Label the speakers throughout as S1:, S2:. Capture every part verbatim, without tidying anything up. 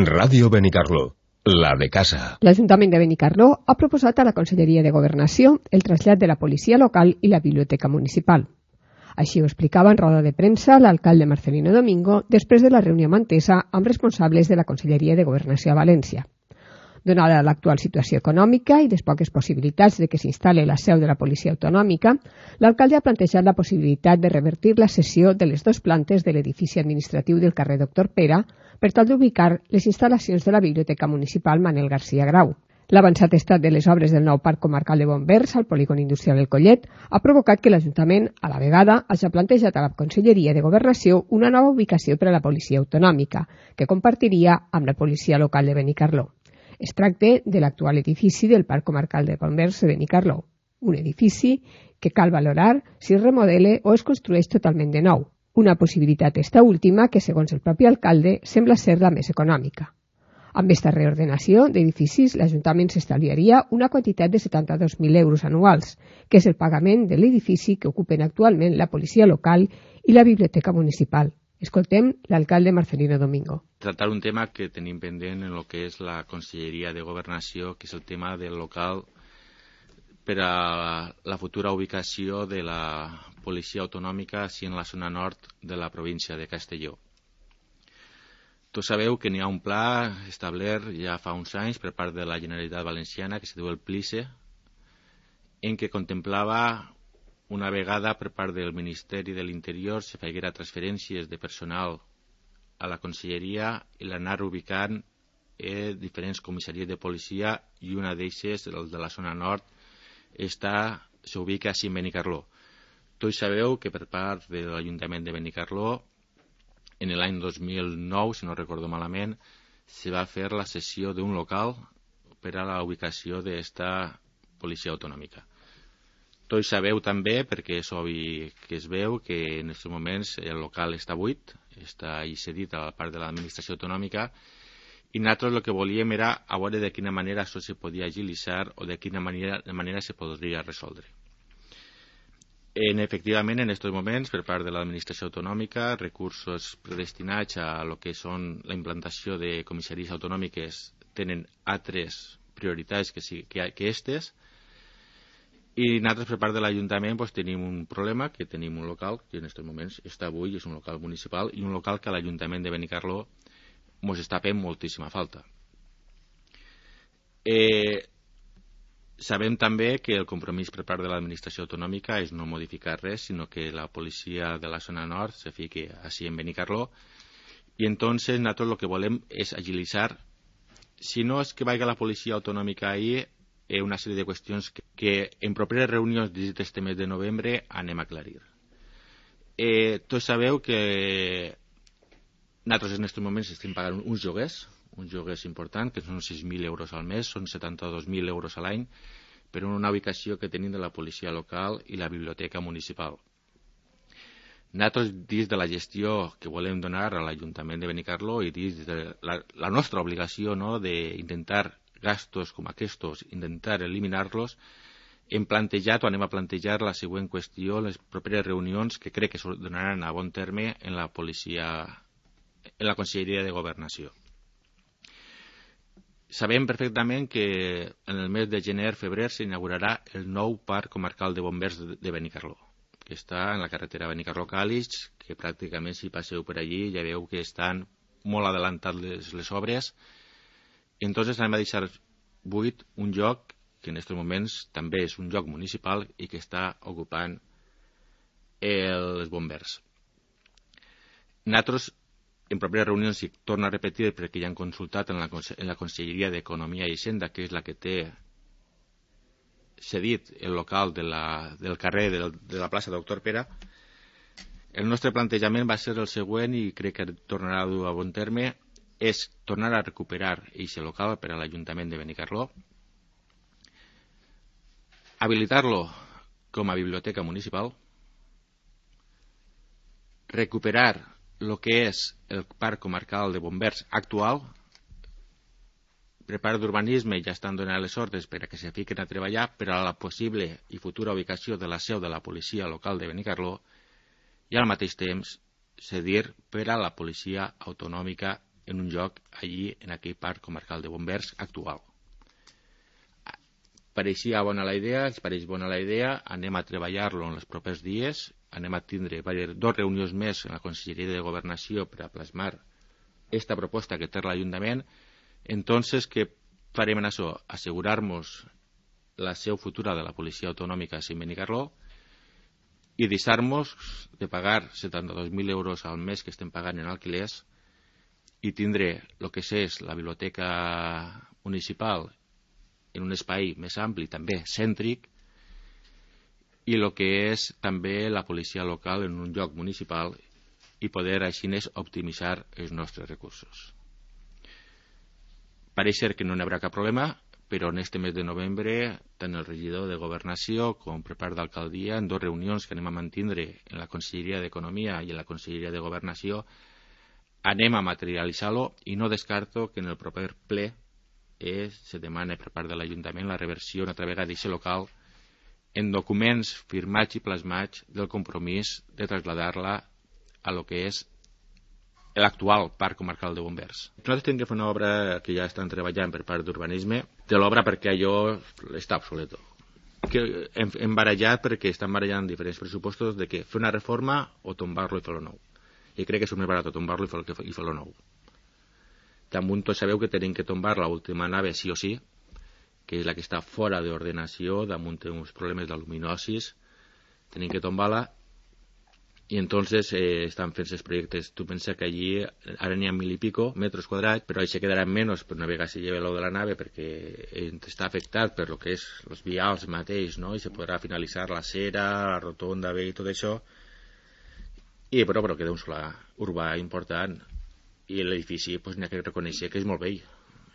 S1: Ràdio Benicarló, la de casa.
S2: L'Ajuntament de Benicarló ha proposat a la Conselleria de Governació el trasllat de la policia local i la biblioteca municipal. Així ho explicava en roda de premsa l'alcalde Marcelino Domingo després de la reunió mantesa amb responsables de la Conselleria de Governació a València. Donada l'actual situació econòmica i les poques possibilitats de que s'instal·li la seu de la policia autonòmica, l'alcalde ha plantejat la possibilitat de revertir la cessió de les dues plantes de l'edifici administratiu del carrer Doctor Pere per tal d'ubicar les instal·lacions de la Biblioteca Municipal Manel García Grau. L'avançat estat de les obres del nou Parc Comarcal de Bombers al polígon industrial El Collet ha provocat que l'Ajuntament, a la vegada, hagi plantejat a la Conselleria de Governació una nova ubicació per a la policia autonòmica, que compartiria amb la policia local de Benicarló. Es tracta de l'actual edifici del Parc Comarcal de Bombers de Benicarló, un edifici que cal valorar si es remodela o es construeix totalment de nou, una possibilitat esta última que, segons el propi alcalde, sembla ser la més econòmica. Amb aquesta reordenació d'edificis, l'Ajuntament s'estalviaria una quantitat de setanta-dos mil euros anuals, que és el pagament de l'edifici que ocupen actualment la policia local i la biblioteca municipal. Escoltem l'alcalde Marcelino Domingo.
S3: Tratar un tema que tenim pendent en el que és la Conselleria de Governació, que és el tema del local per a la futura ubicació de la policia autonòmica així en la zona nord de la província de Castelló. Tots sabeu que n'hi ha un pla establert ja fa uns anys per part de la Generalitat Valenciana que se diu el PLICE, en què contemplava una vegada per part del Ministeri de l'Interior se feguera transferències de personal a la Conselleria i l'anar ubicant en diferents comissaries de policia i una d'eixes, el de la zona nord, està, s'ubica així en Benicarló. Tots sabeu que per part de l'Ajuntament de Benicarló en l'any dos mil nou, si no recordo malament, se va fer la cessió d'un local per a la ubicació d'esta policia autonòmica. Tots sabeu també, perquè és obvi que es veu, que en aquests moments el local està buit, està cedit a la part de l'administració autonòmica, i nosaltres el que volíem era a veure de quina manera això se podia agilitzar o de quina manera, de manera se podria resoldre. En, efectivament, en aquests moments, per part de l'administració autonòmica, recursos predestinats a lo que són la implantació de comissaries autonòmiques tenen altres prioritats que, sí, que, que estes, i nosaltres per part de l'Ajuntament pues, tenim un problema, que tenim un local que en aquests moments està avui, és un local municipal, i un local que a l'Ajuntament de Benicarló ens està fent moltíssima falta. Eh, sabem també que el compromís per part de l'administració autonòmica és no modificar res, sinó que la policia de la zona nord se fiqui així en Benicarló, i entonces nosaltres el que volem és agilitzar, si no és que vagi la policia autonòmica ahir, una sèrie de qüestions que, que en properes reunions d'aquest mes de novembre anem a aclarir. Eh, tots sabeu que nosaltres en aquests moments estem pagant uns lloguers, uns lloguers importants, que són sis mil euros al mes, són setanta-dos mil euros a l'any, per una ubicació que tenim de la policia local i la biblioteca municipal. Nosaltres, dins de la gestió que volem donar a l'Ajuntament de Benicarló i dins de la, la nostra obligació, no?, d'intentar gastos com aquests, intentar eliminar-los, hem plantejat o anem a plantejar la següent qüestió en les properes reunions que crec que es donaran a bon terme en la policia, en la Conselleria de Governació. Sabem perfectament que en el mes de gener-febrer s'inaugurarà el nou Parc Comarcal de Bombers de Benicarló, que està en la carretera Benicarló-Càlig, que pràcticament si passeu per allí ja veu que estan molt adelantades les, les obres. Entonces anem a deixar buit un lloc que en aquests moments també és un lloc municipal i que està ocupant els bombers. Nosaltres, en properes reunions, i torno a repetir perquè ja han consultat en la, en la Conselleria d'Economia i Hisenda, que és la que té cedit el local de la, del carrer de, de la plaça Doctor Pere, el nostre plantejament va ser el següent i crec que tornarà a dur a bon terme, és tornar a recuperar aquest local per a l'Ajuntament de Benicarló, habilitar-lo com a biblioteca municipal, recuperar el que és el Parc Comarcal de Bombers actual, per part d'urbanisme ja estan donant les ordres per a que se fiquen a treballar per a la possible i futura ubicació de la seu de la policia local de Benicarló i al mateix temps cedir per a la policia autonòmica en un lloc allí, en aquell parc comarcal de Bombers actual. Pareixia bona la idea, ens pareix bona la idea, anem a treballar-lo en els propers dies, anem a tindre dos reunions més en la Conselleria de Governació per a plasmar esta proposta que té l'Ajuntament. Entonces, què farem en això? Assegurar-nos la seu futura de la Policia Autonòmica a Benicarló i deixar-nos de pagar setanta-dos mil euros al mes que estem pagant en alquilers i tindre el que és la biblioteca municipal en un espai més ampli, també cèntric, i el que és també la policia local en un lloc municipal i poder així optimitzar els nostres recursos. Pareix ser que no hi haurà cap problema, però en este mes de novembre, tant el regidor de Governació com per part d'alcaldia, en dues reunions que anem a mantindre en la Conselleria d'Economia i en la Conselleria de Governació, anem a materialitzar-lo i no descarto que en el proper ple es, se demana per part de l'Ajuntament la reversió una altra vegada d'aquest local en documents firmats i plasmats del compromís de traslladar-la a lo que és l'actual Parc Comarcal de Bombers. Nosaltres tenim que fer una obra que ja estan treballant per part d'urbanisme, de l'obra perquè allò està obsoleto. Que hem, hem barallat perquè estan barallant diferents pressupostos de que fer una reforma o tombar-lo i fer-lo nou. I crec que és més barat tombar-lo i fer-lo nou. Damunt tots sabeu que tenim que tombar l'última nave sí o sí, que és la que està fora d'ordenació, damunt té uns problemes d'aluminosis, tenim que tombar-la, i entonces eh, estan fent els projectes. Tu pensa que allí ara n'hi ha mil i pico metres quadrats, però això quedarà menys per una vegada si lleva l'ou de la nave, perquè està afectat per lo que és els vials mateix, no? I se podrà finalitzar la cera, la rotonda, bé, i tot això, i però, però queda un solar urbà important. I l'edifici pues, n'hi ha que reconèixer que és molt vell.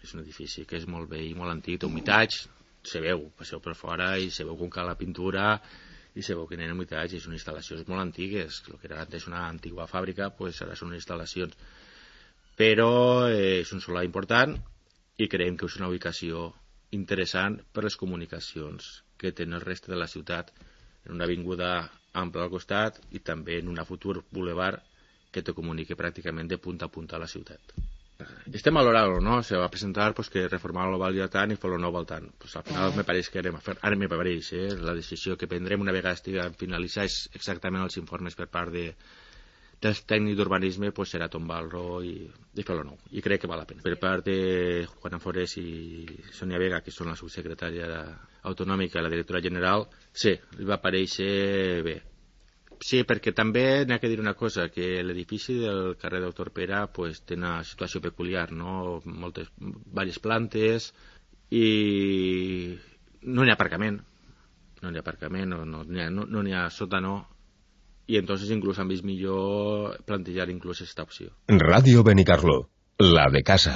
S3: És un edifici que és molt vell, molt antic, té humitats, se veu, passeu per fora i se veu com cal la pintura i se veu que n'hi ha humitats i són instal·lacions molt antigues. El que era antes una antiga fàbrica, pues, ara són instal·lacions. Però eh, és un solar important i creiem que és una ubicació interessant per les comunicacions que té el reste de la ciutat, en una avinguda ampla al costat i també en una futur boulevard que te comunique pràcticament de punta a punta a la ciutat. Estem valorant-lo, no? Se va presentar pues, que reformar-lo valia tant i fer-lo nou val tant. Pues, al final me pareix que anem a fer, ara me pareix, eh? La decisió que prendrem una vegada estiguem finalitzats exactament els informes per part de, dels tècnics d'urbanisme pues, serà tombar-lo i, i fer-lo nou. I crec que val la pena. Per part de Juan Forés i Sonia Vega, que són la subsecretària autonòmica i la directora general, sí, li va parèixer bé. Sí, perquè també n'hi ha que dir una cosa, que l'edifici del carrer Doctor Pere pues, té una situació peculiar, no? Moltes, diverses plantes i no n'hi ha aparcament, no n'hi ha aparcament, no n'hi no, no, no ha sòtano i entonces inclús han vist millor plantejar inclús aquesta opció.
S1: Radio Benicarló, la de casa.